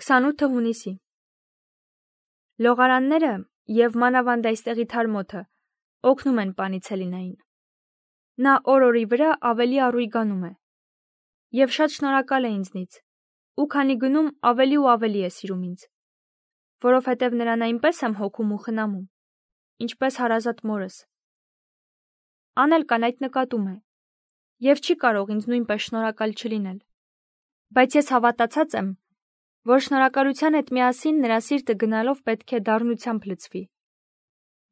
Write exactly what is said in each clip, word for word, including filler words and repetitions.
քսանութը հունիսի Լողարանները և մանավանդ այստեղի թարմոթը օգնում են Պանիցելինային։ Նա օր-օրի վրա ավելի առույգանում է և շատ շնորհակալ է ինձնից, ու քանի գնում ավելի ու ավելի է սիրում ինձ, որովհետև նրան այնպես եմ հոգում ու խնամում, ինչպես հարազատ մորս։ Անելկան այդ նկատում է և չի կարող ինձ նույնպես շնորհակալ չլինել, բայց ես հավատացած եմ, որ շնորհակալության հետ միասին նրա սիրտը գնալով պետք է դառնությամբ լցվի,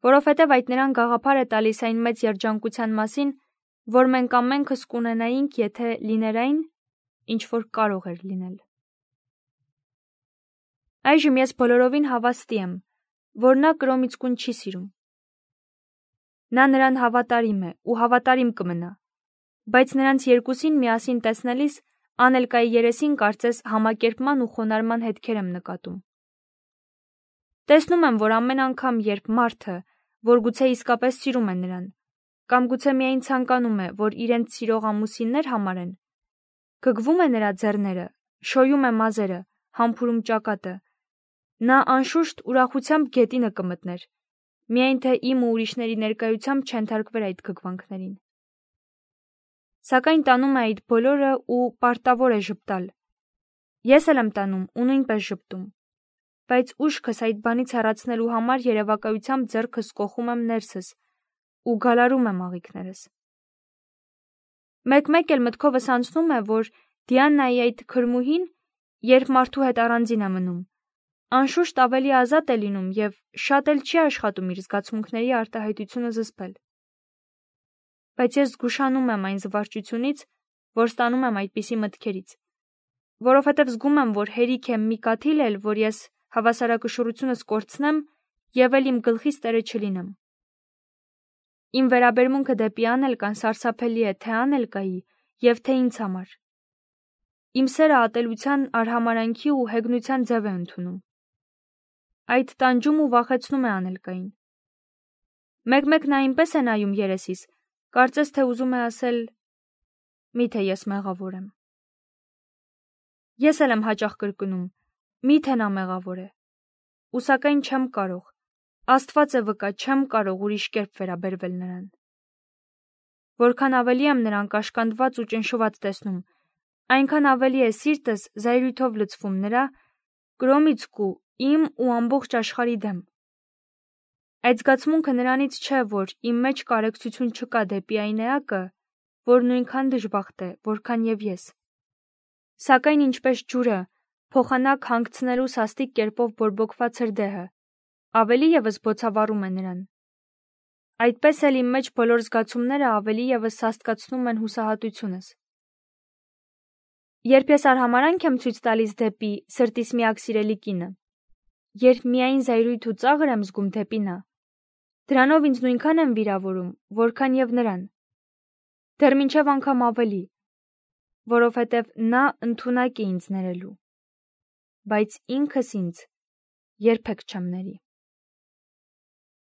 որովհետև այդ նրան գաղափար է տալիս այն մեծ երջանկության մասին, որ մենք ամենքս կունենայինք, եթե լիներ այն, ինչ որ կարող էր լինել։ Այժմ ես բոլորովին հավաստի եմ, որ նա կրոմից կուն չի սիրում։ Նա նրան հավատարիմ է ու հավատարիմ կմնա, բայց նրանց երկուսին միասին տեսնելիս Անելկայի երեսին կարծես համակերպման ու խոնարհման հետքեր եմ նկատում։ Տեսնում եմ, որ ամեն անգամ, երբ մարդը, որ գուցե իսկապես սիրում է նրան, կամ գուցե միայն ցանկանում է, որ իրենց սիրող ամուսիններ համարեն, գգվում է նրա ձեռները, շոյում է մազերը, համբուրում ճակատը, նա անշուշտ ուրախությամբ գետինը կմտներ, միայն թե իմ ու ուրիշների ներկայությամբ չենթարկվեր այդ գգվանքներին։ Սակայն տանում է այդ բոլորը ու պարտավոր է ժպտալ։ Ես էլ եմ տանում ու նույնպես ժպտում, բայց ուշքս այդ բանից հեռացնելու համար երևակայությամբ ձեռքս կոխում եմ ներսս ու գալարում եմ աղիքներս։ Մեկ-մեկ էլ մտքովս անցնում է, որ Դիանայի այդ քրմուհին, երբ մարդու հետ առանձին է մնում, անշուշտ ավելի ազատ է լինում և շատ էլ չի աշխատում իր զգացմունքների արտահայտությունը զսպել։ Բայց ես զգուշանում եմ այն զվարճությունից, որ ստանում եմ այդպիսի մտքերից, որովհետև զգում եմ, որ հերիք է մի կաթիլ էլ, որ ես հավասարակշռությունս կորցնեմ և էլ իմ գլխիս տերը չլինեմ։ Իմ վերաբերմունքը դեպի Անելկան սարսափելի է թե Անելկայի և թե ինձ համար։ Իմ սերը ատելության, արհամարհանքի ու հեգնության ձև է ընդունում։ Այդ տանջում ու վախեցնում է Անելկային։ Մեկ-մեկ նա այնպես է նայում երեսիս, կարծես թե ուզում է ասել. «Միթե ես մեղավոր եմ»։ Ես էլ եմ հաճախ կրկնում. «Միթե նա մեղավոր է»։ Ու սակայն չեմ կարող, Աստված է վկա, չեմ կարող ուրիշ կերպ վերաբերվել նրան։ Որքան ավելի եմ նրան կաշկանդված ու ճնշված տեսնում, այնքան ավելի է սիրտս զայրույթով լցվում նրա, Կրոմիցկու, իմ ու ամբողջ աշխարհի դեմ։ Այդ զգացմունքը նրանից չէ, որ իմ մեջ կարեկցություն չկա դեպի այն էակը, որ նույնքան դժբախտ է, որքան և ես։ Սակայն ինչպես ջուրը, փոխանակ հանգցնելու սաստիկ կերպով բորբոքված հրդեհը, ավելի ևս բոցավառում է նրան։ Այդպես էլ իմ մեջ բոլոր զգացումները ավելի ևս սաստկացնում են հուսահատությունս։ Երբ ես արհամարհանք եմ ցույց տալիս դեպի սրտիս միակ սիրելի կինը, երբ միայն զայրույթ ու ծաղր եմ զգում դեպի նա, դրանով ինձ նույնքան եմ վիրավորում, որքան և նրան, դեռ մինչև անգամ ավելի, որովհետև նա ընդունակ է ինձ ներելու, բայց ինքս ինձ երբեք չեմ ների։